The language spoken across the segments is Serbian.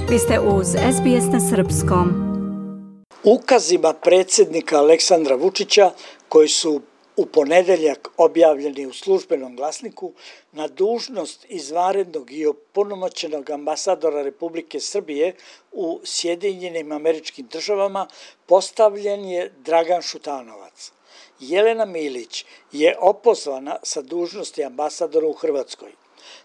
Vi ste uz SBS na srpskom. Ukazima predsjednika Aleksandra Vučića, koji su u ponedeljak objavljeni u službenom glasniku, na dužnost izvanrednog i opunomoćenog ambasadora Republike Srbije u Sjedinjenim Američkim Državama postavljen je Dragan Šutanovac. Jelena Milić je opozvana sa dužnosti ambasadora u Hrvatskoj.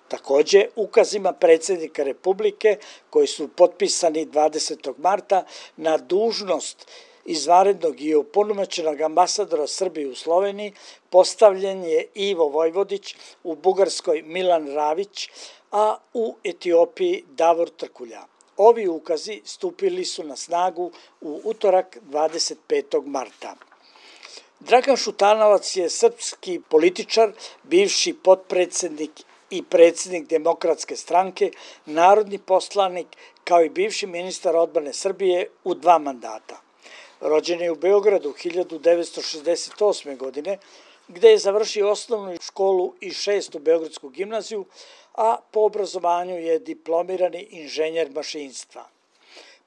Također, ukazima predsjednika Republike, koji su potpisani 20. marta na dužnost izvanrednog i opunomoćenog ambasadora Srbije u Sloveniji, postavljen je Ivo Vojvodić, u Bugarskoj Milan Ravić, a u Etiopiji Davor Trkulja. Ovi ukazi stupili su na snagu u utorak 25. marta. Dragan Šutanovac je srpski političar, bivši potpredsjednik i predsjednik Demokratske stranke, narodni poslanik, kao i bivši ministar odbrane Srbije u 2 mandata. Rođen je u Beogradu 1968. godine, gde je završio osnovnu školu i 6. Beogradsku gimnaziju, a po obrazovanju je diplomirani inženjer mašinstva.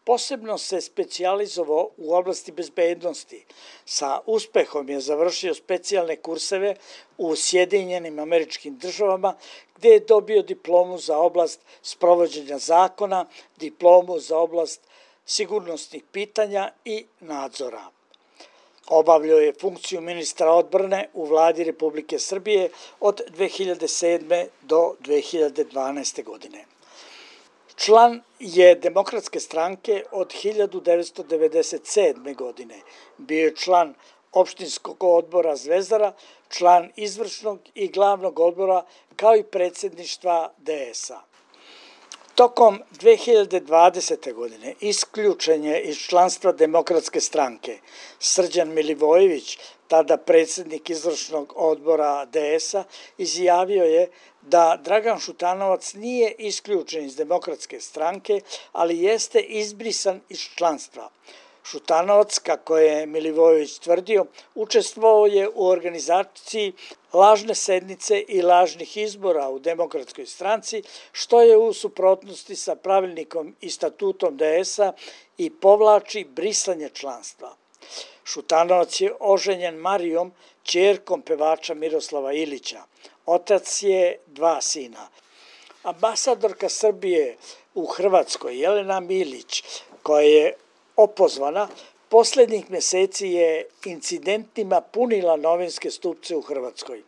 Posebno se specijalizovao u oblasti bezbednosti. Sa uspehom je završio specijalne kurseve u Sjedinjenim Američkim Državama, gde je dobio diplomu za oblast sprovođenja zakona, diplomu za oblast sigurnosnih pitanja i nadzora. Obavljao je funkciju ministra odbrane u vladi Republike Srbije od 2007. do 2012. godine. Član je Demokratske stranke od 1997. godine. Bio je član opštinskog odbora Zvezdara, član izvršnog i glavnog odbora, kao i predsjedništva DS-a. Tokom 2020. godine isključen je iz članstva Demokratske stranke. Srđan Milivojević, tada predsjednik izvršnog odbora DS-a, izjavio je da Dragan Šutanovac nije isključen iz Demokratske stranke, ali jeste izbrisan iz članstva. Šutanovac, kako je Milivojević tvrdio, učestvovao je u organizaciji lažne sednice i lažnih izbora u Demokratskoj stranci, što je u suprotnosti sa pravilnikom i statutom DS-a i povlači brisanje članstva. Šutanovac je oženjen Marijom, ćerkom pevača Miroslava Ilića. Otac je 2 sina. Ambasadorka Srbije u Hrvatskoj, Jelena Milić, koja je opozvana, posljednjih mjeseci je incidentima punila novinske stupce u Hrvatskoj.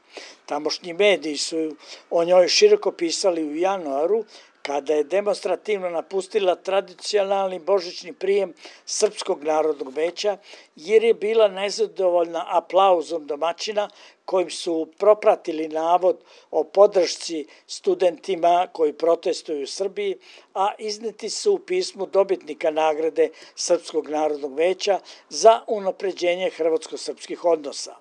Tamošnji mediji su o njoj široko pisali u januaru, kada je demonstrativno napustila tradicionalni božićni prijem Srpskog narodnog veća, jer je bila nezadovoljna aplauzom domaćina kojim su propratili navod o podršci studentima koji protestuju u Srbiji, a izneti su u pismu dobitnika nagrade Srpskog narodnog veća za unapređenje hrvatsko-srpskih odnosa.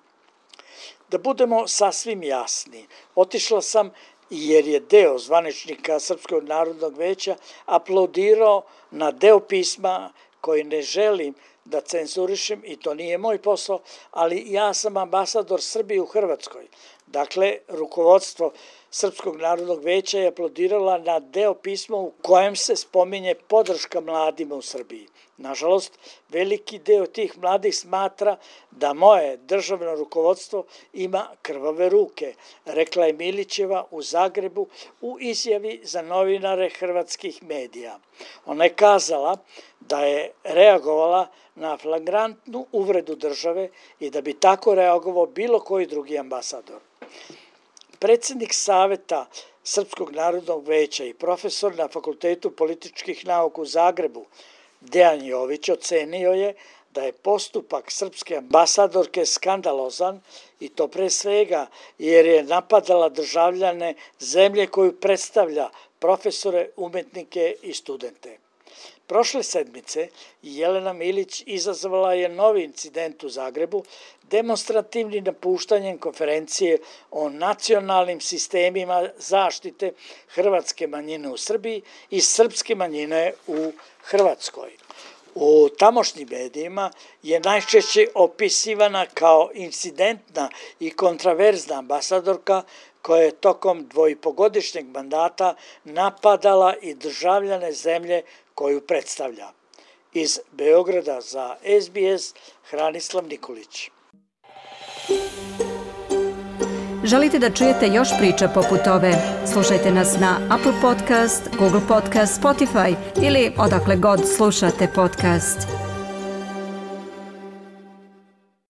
Da budemo sasvim jasni, otišla sam jer je deo zvaničnika Srpskog narodnog veća aplaudirao na deo pisma koji ne želim da cenzurišem i to nije moj posao, ali ja sam ambasador Srbije u Hrvatskoj. Dakle, rukovodstvo Srpskog narodnog veća je aplaudirala na deo pisma u kojem se spominje podrška mladima u Srbiji. Nažalost, veliki deo tih mladih smatra da moje državno rukovodstvo ima krvave ruke, rekla je Milićeva u Zagrebu u izjavi za novinare hrvatskih medija. Ona je kazala da je reagovala na flagrantnu uvredu države i da bi tako reagovao bilo koji drugi ambasador. Predsjednik Saveta Srpskog narodnog veća i profesor na Fakultetu političkih nauka u Zagrebu, Dejan Jović, ocenio je da je postupak srpske ambasadorke skandalozan i to pre svega jer je napadala državljane zemlje koju predstavlja, profesore, umetnike i studente. Prošle sedmice Jelena Milić izazvala je novi incident u Zagrebu demonstrativnim napuštanjem konferencije o nacionalnim sistemima zaštite hrvatske manjine u Srbiji i srpske manjine u Hrvatskoj. U tamošnjim medijima je najčešće opisivana kao incidentna i kontraverzna ambasadorka koja je tokom 2,5-godišnjeg mandata napadala i državljane zemlje koju predstavlja. Iz Beograda za SBS, Hranislav Nikolić. Želite da čujete još priča poput ove? Slušajte nas na Apple Podcast, Google Podcast, Spotify ili odakle god slušate podcast.